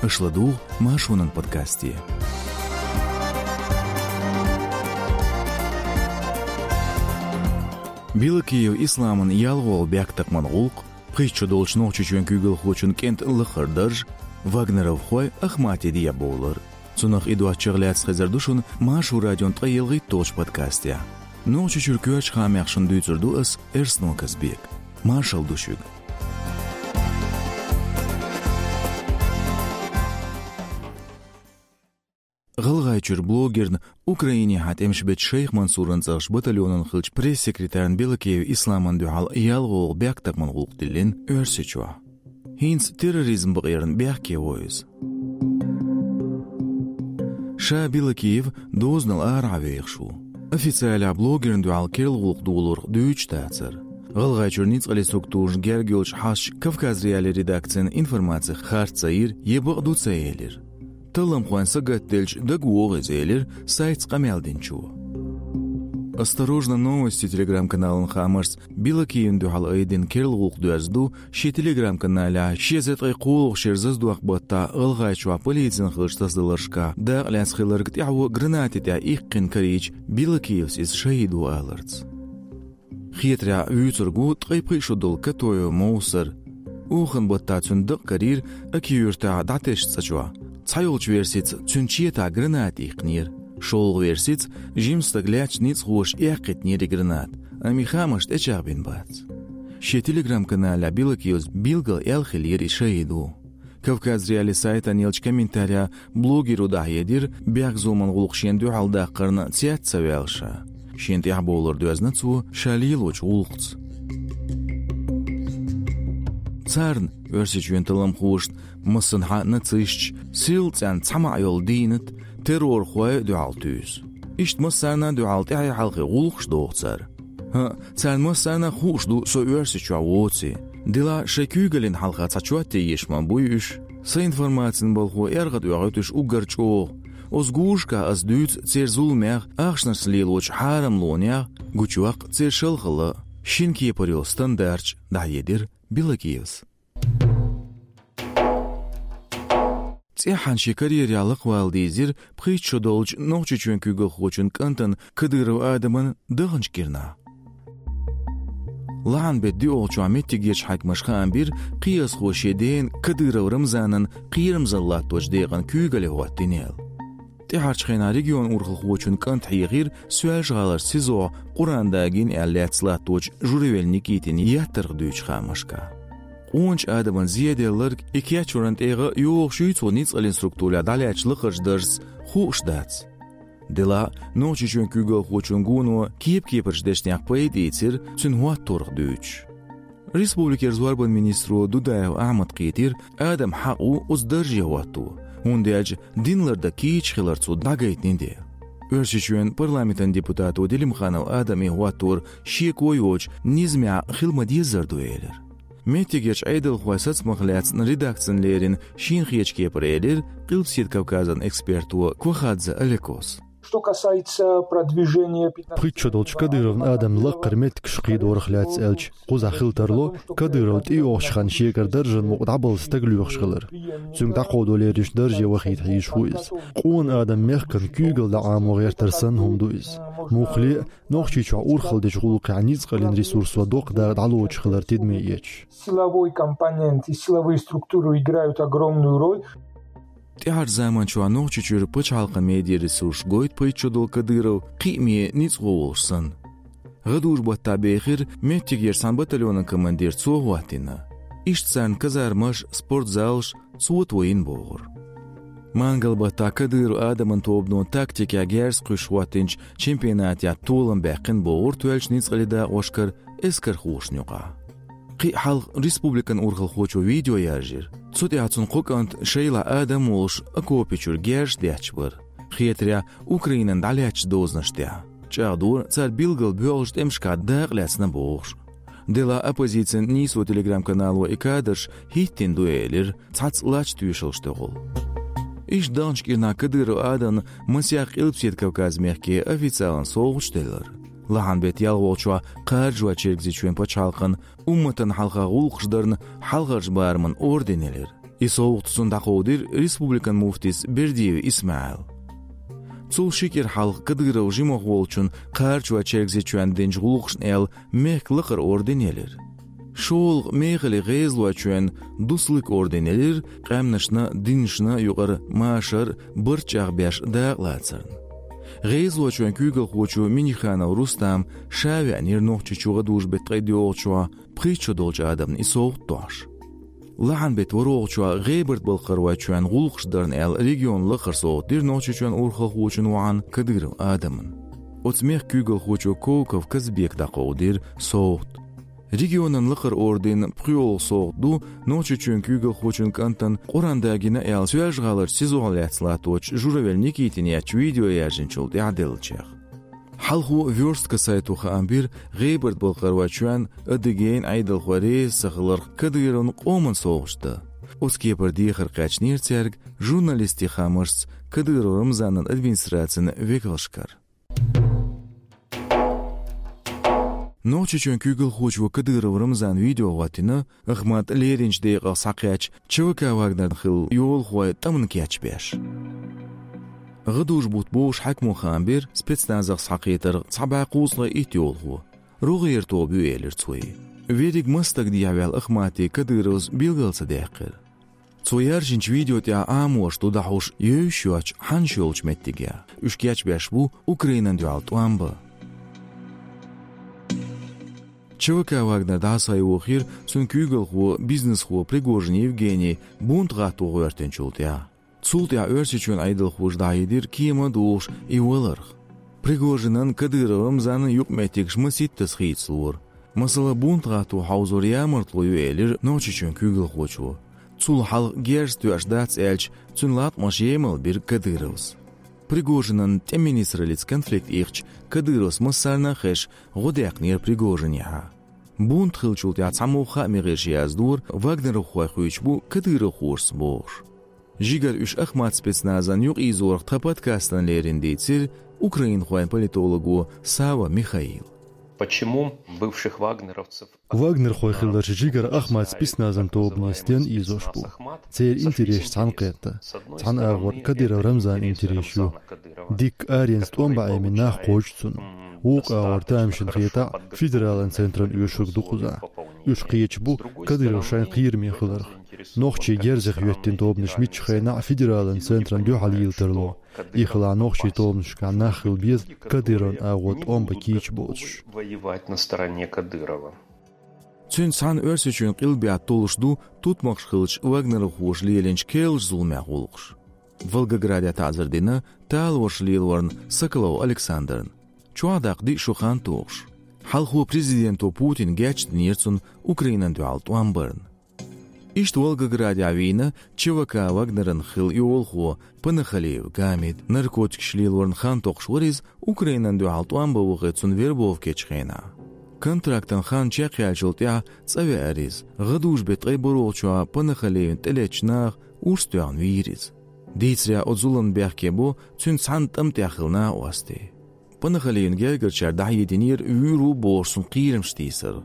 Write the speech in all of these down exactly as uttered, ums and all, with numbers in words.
Аша ладугӀу Маршонан подкасте. Белокиев Исламан ялхолгӀа бехктакхаман гӀулакх, пхийтта шо долчу Нохчийчоьнан куьйгалхочун кӀентан лахара дарж, вагнеровхой Ахматех дӀабовлар. Цунах и доцчух лаьцна хезар ду шуна Маршо радион ткъе ялхитталгӀачу подкастехь. Нохчийчуьра коьртачу хаамех шуна дуьйцур ду ас, Эрсно Казбек. Маршалла ду шуьга. ГӀалгӀайчуьра блогерна, Украинехьа тӀемаш бечу Шайх Мансуран цӀарахчу батальонан хиллачу пресс-секретарна Белокиев Исламна дуьхьал ялхолгӀа бехктакхаман гӀулакх диллина Оьрсийчохь. ХӀинца терроризм бакъонна бехке во иза. Ша Белокиев дозанал арахьа вехаш ву. Официалехь блогерна дуьхьал керла гӀуллакх долург дуьйцуш дацара. ГӀалгӀайчуьра ницкъаллин структурашна герга йолчу хьасташа Кавказ.Реалии редакцина информаци харц ца йира я бакъ ду ца элира. Талламхойн сагатделча дагавогӀу иза, элира сайтца къамел динчо. «Осторожно, новости» телеграм-каналан хаамашца, Белокиевна дуьхьал айдина керла гӀуллакх доьзна ду шен телеграм-каналехь ши эзар ткъе кхоалгӀачу шеран зазадоккху баттахь ГӀалгӀайчохь полицина хиллачу тасадаларшкахь дакъа лаьцна хилларг тӀаьхьо гранати тӀехь иккхина карийча, Белокиевс иза шахӀид ву аларца. Хетарехь, вуьйцург ву ткъе пхи шо долу Катоев Мовсар. Охан баттахь цуьнан дакъа карийра Аки-Юьртахь дӀатесначу цӀа чохь. Цхьайолчу версица, цуьнан четахь граната иккхинера. ШолгӀа версица, жима стаг лаьцначу ницкъахоша эккхийтинера и граната, амма и хаамаш тӀечӀагӀбина бац. Шен телеграм-каналехь Белокиевс билггал аьлла хиллера и шахӀид ву. Кавказ.Реалии сайтана еллачу комментарехь блогеро дӀахьедира, бехкзуламан гӀуллакх шена дуьхьал даккхарна цец ца ваьлла ша. Шена тӀаьхьабовлар доьзна цо ша лелочу гӀуллакхца. Царна, Оьрсийчоьнан талламхошна, массанхьа а нацисташа, сирла цӀенна цхьа маьӀна йолу дийнат, террорхой а дуьхьал туьйсу. Иштта массарна а дуьхьал тӀаьхье-хьалхе гӀуллакхаш доху цара. ХӀаъ, царна массарна а хууш ду со Оьрсийчохь воций. Делахь шайн куьйгаллин хьалха цхьа чот е еш ма буй уьш. Сан информацин балхо эргӀадоьгӀуьйту уьш уггар чӀогӀа. Оцу гурашкахь ас дуьйцу церан зуламех, ахчанашца лелочу хьарамлонех, гучуваккха церан шалхалла, шина кепара йолу стандарташ, дӀахьедира Белокиевс. ЦӀеххьана шен карьерехь лакхавала дийзира пхийтта шо долчу Нохчийчоьнан куьйгалхочун кӀантана Кадыров Адаман даханчу кӀирнахь. Лахьан беттан доьалгӀачохь меттигерчу хьаькамаша хаам бира, кхиазхо шен дена Кадыров Рамзанан кхерамзалла латточу декъана куьйгалле хӀоттийна аьлла. ТӀаьхьарчу хенахь регионан урхалхочун кӀант хьехира Соьлжа-ГӀаларчу СИЗО-хь Къуръан дагийна аьлла лаьцна латточу Журавель Никитина еттарх дуьйцучу хаамашкахь. Къоначу Адаман зеделларг, и кечваран тӀегӀа йогӀуш юй цо ницкъаллин структурехь дӀалаьцначу лакхарчу даржаца, хууш дац. Делахь а, Нохчийчоьнан куьйгалхочун гоно кеп-кепарчу дешнех пайда ийцира, цуьнан хӀотторах дуьйцуш. Республикера зорбанан министро Дудаев Ахьмада кхийтира, Адамна хьакъ ву оцу дарже хӀотто, хӀунда аьлча дин лардан кийча хилар цо дӀагайтина дела. Оьрсийчоьнан парламентан депутато Делимханов Адама и хӀоттор шеко йоцуш низамехь хила ма-деззара ду элира. Меттигерчу Ӏедалхойн сацамах лаьцна редакцина леррина шена хетачу кепара элира Къилбаседа Кавказан эксперто Квахадзе Олекос. Что касается продвижения пятнадцатого... Пхийтта шо долчу Кадыровн Адаман лакхара меттигаш кхийдорах лаьцна аьлча, кхузахь хила тарло Кадыров тӀейогӀучу хенахь шегара даржан мукъа дӀабала стаг лоьхуш хилар. Цуьнга дӀакховдо леринчу дарже вахийта хьийзаш ву иза. Къона Адаман мехкан куьйгалла дӀа Ӏамо гӀертар санна хӀума ду иза. Муххале а, Нохчийчохь урхалла дечу гӀуллакхехь ницкъаллин ресурсо доккха дакъа дӀалоцуш хилар тидаме эцаш. Силовой компонент и силовые структуры играют огромную роль. ТӀаьхьарчу заманчохь Нохчийчуьра пачхьалкхан медиаресурсаш гойту пхийтта шо долу Кадыров кхиаме ницкъахо волуш санна. ГӀадужу баттахь бехира меттигерчу цхьана батальонан командир, цо хӀоттийна. Иштта царна казармаш, спортзалаш, цо тойина бохура. Мангал баттахь Кадыров Адаман тобано тактикехь герз кхуьссуш хӀоттийначу чемпионатехь толам баьккхина бохура тоьллачу ницкъаллин дакъошкара эскархошна юкъахь. Кхин а хьалха республикан урхалхочо видео яржийра. Цу тӀехь цуьнан кхо кӀант шайлахь Адам волуш окопи чуьра герзаш детташ бара. Хетарехь, Украинан дӀалаьцначу дозанаш тӀехь. ЧӀагӀдора, цара билггал боьлхачу тӀемашкахь дакъа лаьцна бохуш. Делахь оппозицин «Нийсо» телеграм-канало и кадраш хӀиттийна ду элира, цхьацца лач тоьшаллаш тӀехула. Иштта даханчу кӀирнахь Кадыров Адамна масех Къилбаседа Кавказан мехке официалан совгӀаташ деллера. Лахьан беттан ялхолгӀачохь кхажойчу Чергазийчоьнан пачхьалкхан умматана хьалха гӀуллакхаш дарна хьалхарчу бараман орден елира. И совгӀат цунна дӀакховдийра республикан муфтис Бердиев ИсмаӀила. Цул ши кӀира хьалха Кадыров жимахволчун кхарачой чергазичоьнна динчу гӀуллакхашна аьлла мехкан лакхара орден елира. ШолгӀа мехала гӀезалойчоьнна Дуслык орден елира, къаьмнашна, динашна юкъара машар барт чӀагӀбеш дакъалацарна. ГӀезалойчоьнан куьйгалхочо Миниханов Рустама ша веанера Нохчийчу гӀадужу-беттан ткъе доьалгӀачохь пхийтта шо долчу адамна и совгӀат дохьуш. Лахьан-беттан ворхӀалгӀачохь ГӀебарта-Балкхаройчоьнна гӀуллакхаш дарна аьлла регионан лакхара совгӀат дира Нохчийчоьнан урхалхочун воӀана Кадыров Адамна. Оцу мехкан куьйгалхочо Коков Казбека дӀакховдийра совгӀат. Регионан лакхара орденан пхоьалгӀа совгӀат ду Нохчийчоьнан куьйгалхочун кӀантана Къуръан дагийна аьлла Соьлжа-ГӀаларчу СИЗО-хь лаьцна латточу Журавель Никитина еттачу видео яьржинчул тӀаьхьа деллачех. Хьалхо «Вёрстка» сайто хаам бира ГӀебарта-Балкхаройчоьнна, Адыгейн Ӏедалхой реза ца хиларх Кадыровна къоман совгӀаташ дан. Оцу кепара дехар кхаьчнера цаьрга журналистийн хаамашца Кадыров Рамзанан администрацин векалшкара. Нохчийчоьнан куьйгалхочо Кадыров Рамзана видео хӀоттийна, Ахмат леринчу декъах схьакхаьчча, ЧВК «Вагнерна» хилла йолахой тӀамна кечбеш. ГӀадужу бутт бохуш хьаькамо хаам бира спецназах схьакхетарх цхьа бӀе кхузткъе итт йолахо. РогӀера тоба ю, элира цо. Верриг маса стаг дехьаваьлла Ахмате Кадыровс билгал ца даьккхира. Цо яьржинчу видео тӀехь Ӏамош ду дӀахьуш йовш йоцчу хьанаш йолчу меттигех. Уьш кечбеш бу Украинан дуьхьал тӀом бан. ЧВК «Вагнер» дӀасайохийра цуьнан куьйгалхо, бизнесхо Пригожин Евгений бунт гӀатто гӀоьртинчул тӀаьхьа. Цул тӀаьхьа Оьрсийчоьнан Ӏедалхоша дӀахьедира кема а дохуш и валарх. Пригожинан, Кадыров Рамзанан юкъаметтигаш масийттаза хийцалора. Масала, бунт гӀатто хьовзор ямартло ю, элира Нохчийчоьнан куьйгалхочо. Цул хьалха герз тоьаш дац аьлча, цуьнан латкъамаш емал бира Кадыровс. Пригожинан тӀеман министраллица конфликт ихча, Кадыровс массарна а хезаш гӀо даьккхинера Пригожинехьа. Бунт хиллачул тӀаьхьа цхьамогӀа хаамийн гӀирсаша яздора, вагнеровхой хуьйцуш бу кадыровхошца бохуш. Жигара уьш Ахмат спецназан юкъаийзорах тхан подкастана лерина дийцира украинхойн политолого Сава Михаила. Почему бывших вагнеровцев... Вагнерхой хилларш жигара Ахмат спецназан тобане стенна ийзош бу? Церан интересаш цхьаьна кхетта. Цхьана агӀор Кадыров Рамзанан интерес ю. Дикка аренца тӀом бан Ӏемина нах кхочу цунна. Вукху агӀор тамашийна хетахь, федералан центран оьшург ду кхузахь. Уьш кхеташ бу Кадыров шайн кхераме хиларх. Нохчий герзах йоьттина тобанаш миччахь хенахь а федералан центран дуьхьал йийла тарло. И хилахь нохчийн тобанашкахь нах хила беза Кадыровн агӀор тӀом бан кийча боцуш. Воевать на стороне Кадырова. Цуьнца цхьаьна Оьрсийчоьнан къилбехьа толлуш ду тутмакхаш хиллачу вагнеровхоша лелийначу керлачу зуламех гӀуллакхаш. Волгограде таӀзар дина талораш лелорна Соколов Александрна. Чохь даккха диъ шо хан тухуш. Хьалхо президенто Путина гечдинера цунна Украинан дуьхьал тӀом барна. Иштта Волгоградехь вийна ЧВК «Вагнеран» хилла йолахо Панахалиев Гамид, наркотикаш лелорна хан токхуш вара иза, Украинан дуьхьал тӀом бан вахе цунна вербовка ечу хенахь. Контрактан хан чекхъяьллачул тӀаьхьа цӀа веара иза. ГӀадужу-беттан ткъе бархӀалгӀачохь Панахалиевна тӀелеттачу наха урс тоьхна вийра иза. Дийцарехь, оцу зуламна бехке бо цуьнца цхьаьна тӀам тӀехь хилла накъостий. Панахалиевн гергарчара дӀахьединера вуьйр ву бохуш цунна кхерамаш тийсар.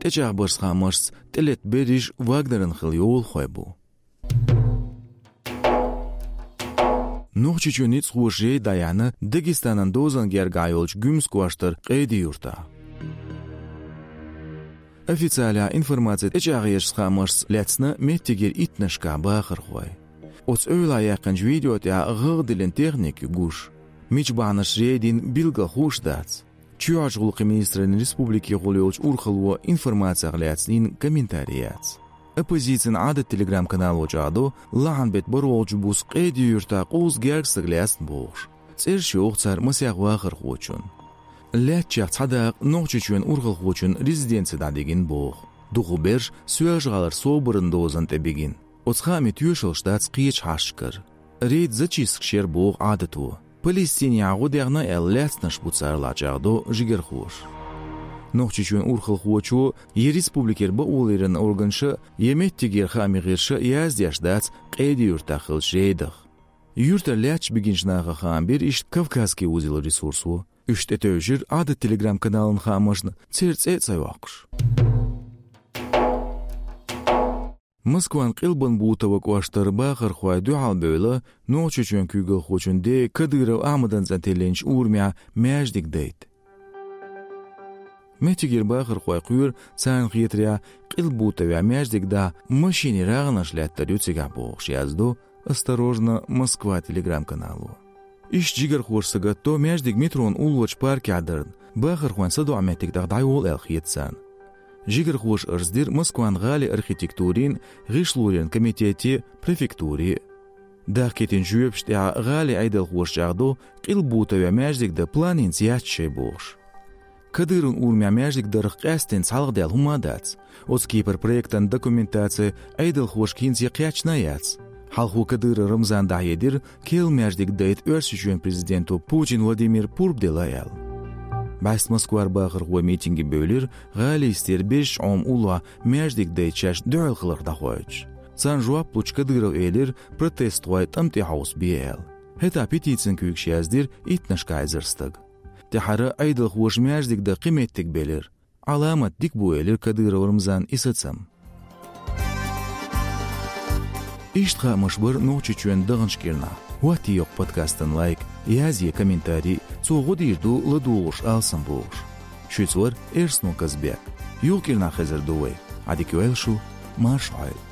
ТӀечӀагӀбаршца хаамашца, тӀелетта берриш «Вагнеран» хилла йолахой бу. Нохчийчоьнан ницкъахоша жайна дӀаяьхьна Дагестанан дозанна гергахь йолчу Гуьмсан кӀоштара Къеди-Юьртахь. Официалехь информаци тӀечӀагӀъяршца хаамашца лаьцна меттигера иттаннашкахь бахархой. Оцу эвлахь яьккхинчу видео тӀехь гӀагӀ диллина техника ю гуш. Мича бахьанашца жай дина билггал хууш дац. Чоьхьарчу гӀуллакхийн министраллин республикехула йолчу урхалло информацех лаьцна йина комментарий яц. Оппозицин Ӏадат телеграм-канало чӀагӀдо, лахьан-беттан бархӀалгӀачу буса Къеди-Юьртахь къовса гергга стаг лаьцна бохуш. ЦӀераш йоху цара масех вахархочун. Лаьттачех цхьа дакъа Нохчийчоьнан урхалхочун резиденци дӀадигина боху. Дукхахберш Соьлжа-ГӀалара собаран дозанна тӀе бигина. Оцу хаамийн тоьшаллаш дац кхечу хьашташкара. Рейд зачисткаш яра боху Ӏадато. Палестинехь гӀо дехна аьлла лаьцнарш бу царалахь, чӀагӀдо жигархоша. Нохчийчоьнан урхалхочо я республикера бакъоларъяран органаша, я меттигера хаамийн гӀирсаша яздеш дац Къеди-Юьртахь хиллачу рейдах. Юьртара лаьтташ бигинчу наха хаам бира иштта «Кавказский узел» ресурсо. Уьш тӀетевжира Ӏадат телеграм-каналан хаамашна, церан цӀе а ца йоккхуш. Москван Къилбан-Бутово кӀоштара бахархой дуьхьал бевлла Нохчийчоьнан куьйгалхочун ден Кадыров Ахьмадан цӀа тиллинчу урамехь маьждиг дайта. Меттигера бахархой кхоьру, царна хетарехь, Къилбутовехь маьждиг дахьа машенийн рагӀанаш лаьттар ю цигахь бохуш, яздо «Осторожно, Москва» телеграм-канало. Иштта жигархоша сагатдо маьждиг метрон уллорчу паркехь дарна, бахархойн садоӀу меттиг дахь дӀайолу аьлла хета царна. Жигархоша арз дира Москван гӀалин архитектурин, гӀишлоран комитете, префектуре. Дахкийтинчу жоьпашна тӀаьхьа гӀалин Ӏедалхоша чӀагӀдо, Къилбутовехь маьждиг дан план хӀинца яц шайн бохуш. Кадыровн урамехь маьждиг дарх къаьсттина цхьалха даьлла хӀума а дац. Оцу кепара проектан документаци Ӏедалхошка хӀинца кхаьчна а яц. Хьалхо Кадыров Рамзана дӀахьедира, керла маьждиг дайта Оьрсийчоьнан президенто Путин Владимира пурба делла аьлла. БӀаьста Москвара бахархой митинге бевлира, гӀалин йистера Безачу Ӏоман уллохь маьждиг дайта шаьш дуьхьал хиларх дӀахоуьйтуш. Царна жоп лучу Кадырова элира, протестхой тӀам тӀе хьовсабе аьлла. ХӀетахь петицин куьйгаш яздира иттаннашкахь эзар стага. ТӀаьхьара Ӏедалхоша маьждиг дан кхин меттиг белира. Ӏаламат дика бу, элира Кадыров Рамзана и сацам. Иштта хаамаш бара Нохчийчоьнан даханчу кӀирнахь. ХӀоттае йоккху подкастан лайк, язъе комментарий, цо гӀо дийр ду ладугӀуш алсам бохуш. Шуьца вара Эрсно Казбек. Юха кӀирнахь хезар ду вай. Ӏадика йойла шу, марша Ӏойла.